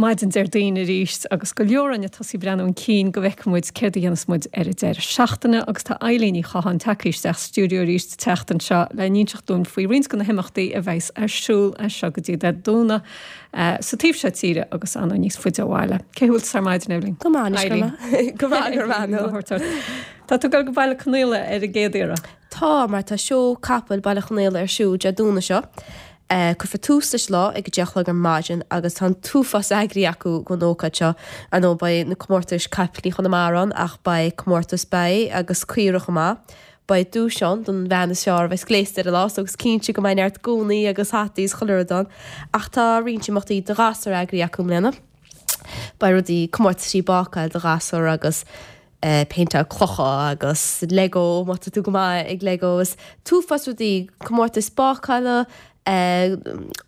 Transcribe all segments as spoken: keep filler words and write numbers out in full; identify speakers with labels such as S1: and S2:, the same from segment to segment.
S1: Maidin Déardaoin arís agus go leor againn ag tosú breathnú chun cinn go bhfeicfidh muid céard a dhéanfas muid ar an deireadh seachtaine agus tá Eilín Ní Chatháin tagtha isteach sa stiúideo arís an tseachtain seo le n-inseacht dúinn faoi roinnt de na himeachtaí a bheas ar siúl as seo go dtí Dé Domhnaigh sa taobh seo tíre agus ann níos faide ó bhaile. Cé bhfuil ar maidin Eilín?
S2: Go maith go maith.
S1: Tá tú go Baile Conaola ar an gcéad iarraidh.
S2: Tá mar tá seó capall Baile Chonaola ar siúl Dé Domhnaigh seo. Uh, Cuirfear tús leis lá ag deich a chlog ar maidin agus tá tuafás eagraithe acu don ócáid seo ar ndóigh beidh na comórtais caiplí Chonamara ann ach beidh comórtas ba agus caorach chomh maith. Beidh duais ann don bhean is fearr a bheas gléasta ar an lá agus cinnte go mbeidh neart gúnaí agus hataí is chuile rud ann ach tá roinnt imeachtaí do ghasúir eagraithe acu i mbliana. Beidh rudaí comórtaisí bácáil do ghasúir agus uh, péinteáil clocha agus Lego má tá tú go maith ag Lego is tuafás rudaí comórtas bácála Uh,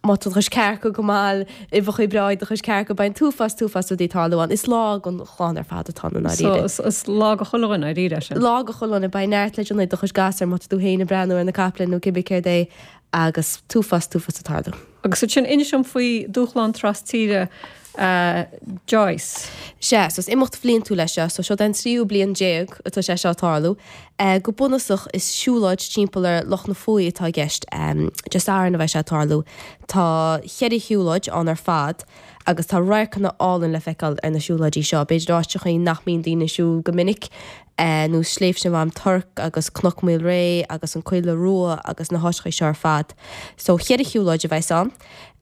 S2: má tá chuis cearca go maith i bhcha breid do chuis cearca beidh tuafás tuafás rudaí ag tarlú ann. Is lá don chlann ar fad atá ann.
S1: So is lá do chuile dhuine dáiríre sin.
S2: Lá do chuile dhuine beidh neart le déanamh do chuid gasúr má tá tú féin ag breathnú ar na caiple nó cibé céard é agus tuafás tuafás ag tarlú.
S1: Agus sin inis dom faoi dúshlán trastíre uh, Joyce.
S2: Sé, so is imeacht bhliantúil é seo, so seo den tríú bliain déag atá sé seo tarlú. Uh, go bunúsach is siúlóid timpeall ar Loch na Fuaí atá i gceist um, Dé Sathairn a bheidh sé tarlú. Tá ceithre shiúlóid ann ar fad agus tá radharcanna álainn le feiceáil ar na siúlóidí seo, b'fhéidir áiteachaí nach mbíonn daoine ag siúl go minic. Uh, nó Sléibhte Mhám Toirc agus Cnoc Mhaolré agus an Coille Rua agus na háiteachaí seo ar fad. So cheithre shiúlóid a bheas ann.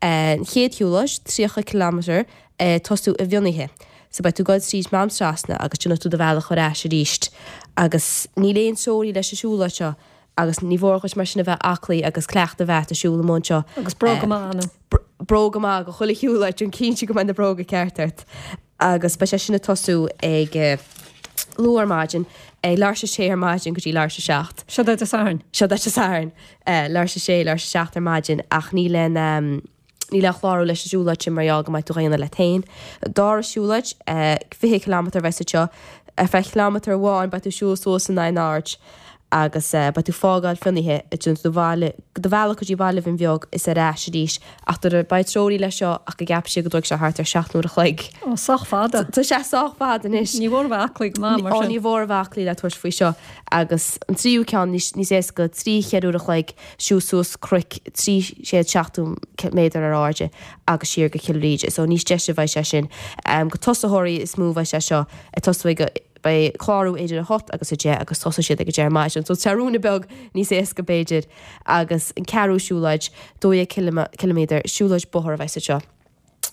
S2: Uh, an chéad shiúlóid tríocha kilometer uh, tosú i bhFionnaithe. So beidh tú ag dul tríd Mám Trasna agus déanfaidh tú do bhealach ar ais arís. Agus níl aon treoraí leis an siúlóid seo agus ní mór duit mar sin a bheith aclaí agus cleachtadh a bheith ag siúl amuigh anseo.
S1: Agus bróga maith ann.
S2: Bróga maith do chuile shiúlóid déan cinnte go mbeidh na bróga ceart ort. Agus beidh sé sin ag tosú ag uh, luath ar maidin ag leathuair tar éis a sé ar maidin go dtí leathuair tar éis a seacht.
S1: Seo Dé Sathairn.
S2: Seo Dé Sathairn uh, leathuair tar éis a sé leathuair tar éis a seacht ar maidin ach níl aon um, níl aon chlárú leis an siúlóid sin mar gheall go mbeidh tú á dhéanamh leat féin. Dara siúlóid uh, fiche kilometer bheas seo ar feadh kilometer amháin beidh tú siúl suas in airde agus uh, beidh tú ag fágáil Fionnaithe ag déanamh do bhaile do bhealach go dtí Baile Bhinn Bheag is ar ais arís ach beidh treoraí leis seo ach go gceapann siad go dtógfaidh sé thart ar seacht n-uair a chloig.
S1: Ó sách fada.
S2: Tá sé sách fada anois.
S1: Ní mhór bheith aclaí go maith mar
S2: Ó
S1: sin.
S2: ní mhór bheith aclaí le tabhairt faoi seo agus an tríú ceann níos níos éasca trí cheithre uair a chloig siúl suas cnoc trí chéad seachtó méadar ar airde agus siar go Cill Ríde, so níos deise bheidh sé sin. Um, go tosaitheoirí is mó bheidh sé seo ag tosú ag beidh clárú idir a hocht agus a deich agus tosóidh siad ag a deich ar maidin, so tá rud beag níos éasca b'fhéidir agus an ceathrú siúlóid dó dhéag kilometer siúlóid bóthair a bheidh seo.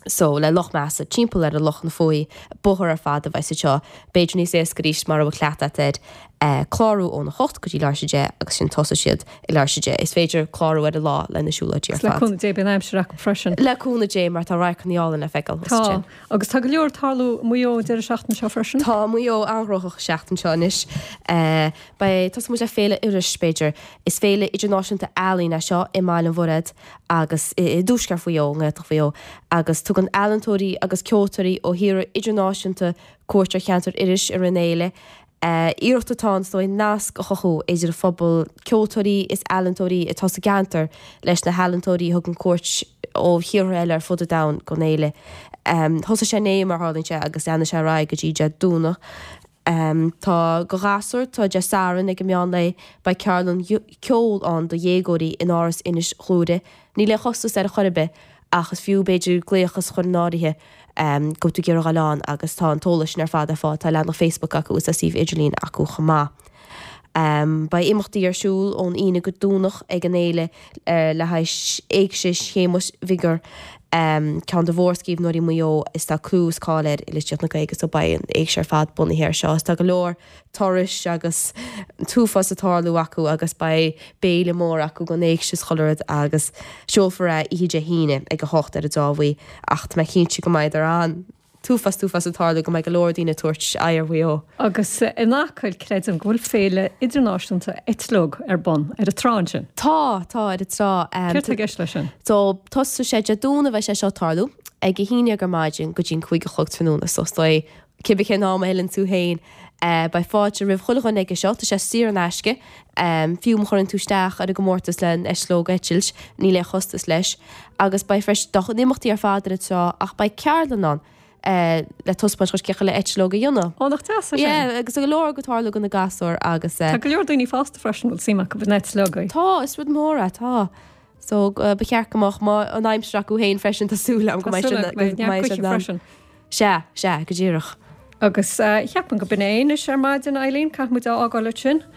S2: So le Loch Measa timpeall ar an Loch na Fuaí bóthar ar fad a bheidh seo, b'fhéidir níos éasca arís mar a bhfuil cleachtadh air eh, clárú óna hocht go dtí leathuair tar éis a deich agus sin tosóidh siad i leathuair tar éis a deich. Is féidir clárú ar an lá le na siúlóidí ar
S1: Le
S2: fad.
S1: cúnamh Dé beidh an aimsir acu freisin.
S2: Le cúnamh Dé mar tá radharcanna álainn le feiceáil.
S1: Tá agus tá go leor ag tarlú i Maigh Eo deireadh seachtaine seo freisin.
S2: Tá Maigh Eo an-ghnóthach seachtain seo anois. Uh, Beidh tosóidh muid le Féile Iorrais b'fhéidir. Is féile idirnáisiúnta ealaíon é seo i mBaile an Mhuirthead agus i, i dtuaisceart Mhaigh Eo, nGaeltacht Mhaigh Eo, agus tugann ealaíontóirí agus ceoltóirí ó thíortha idirnáisiúnta cuairt ar cheantar Iorrais i rith na féile. Uh, iarracht atá ann so nasc a chothú idir phobal ceoltóirí is ealaíontóirí atá sa gceantar leis na healaíontóirí a thugann cuairt ó thíortha eile ar fud an domhain don fhéile. Um, Thosaigh sé inné mar tharlaíonn sé agus leanfaidh sé ar aghaidh go dtí Dé Domhnaigh. Um, tá go ghasúir tá Dé Sathairn ag an meán lae beidh ceardlann ceoil ann do dhéagóirí in Áras Inis Gluaire. Níl aon chostas ar chor ar bith ach is fiú b'fhéidir glaoch a chur in áirithe um, go tú gur gáán agus tá an t-eolas sin ar fad ar fáil tá leathanach Facebook acu is a suíomh idirlín acu chomh maith. Um, Beidh imeachtaí ar siúl ón Aoine go Domhnach ag an fhéile uh, le haghaidh éigse Shéamuis Mhig Uidhir um, ceann de mhórscríbhneoirí Mhaigh Eo is tá clú is cáil air i litríocht na Gaeilge so beidh an éigse ar fad bunaithe air seo. Is tá go leor turais agus tuafás ag tarlú acu agus beidh béile mór acu don éigse is chuile rud agus seolfar é oíche Dé hAoine ag a hocht ar an dTrá Bhuí ach tá mé cinnte go mbeidh an t-uafás t-uafás ag tarlú go mbeidh go leor daoine ag tabhairt aghaidh ar Mhaigh Eo.
S1: Agus in Acaill creidim go bhfuil féile idirnáisiúnta eitleog ar bun ar an trá ansin.
S2: Tá, tá ar an trá.
S1: Céard tá i gceist leis sin?
S2: So tosóidh sé Dé Domhnaigh a bheidh sé seo ag tarlú ag a haon déag ar maidin go dtí an cúig a chlog tráthnóna so is dóigh cibé cén am a fhilleann tú féin. Beidh fáilte roimh chuile dhuine aige seo, tá sé saor in aisce. Fiú má chuireann tú isteach ar an gcomórtas le an eitleog a eitilt, níl aon chostas leis. Agus beidh freisin, tá na himeachtaí ar fad ar an trá ach beidh ceardlann ann le taispeáint dhuit cén chaoi le eitleog a dhéanamh.
S1: Ó, nach deas é sin?
S2: Yeah, agus tá go leor ag tarlú do na gasúir agus.
S1: Tá go leor daoine fásta freisin a bhfuil suim acu in eitleogaí.
S2: Tá, is rud mór é, tá. So ba cheart go mbeadh an aimsir acu féin freisin, tá súil agam go mbeidh siad
S1: Tá súil agam go mbeidh neart gaoithe freisin.
S2: Sea, sea, go díreach.
S1: Agus cheapfainn go b'in é anois ar maidin, Eileen, caithfidh muid a fhágáil ansin.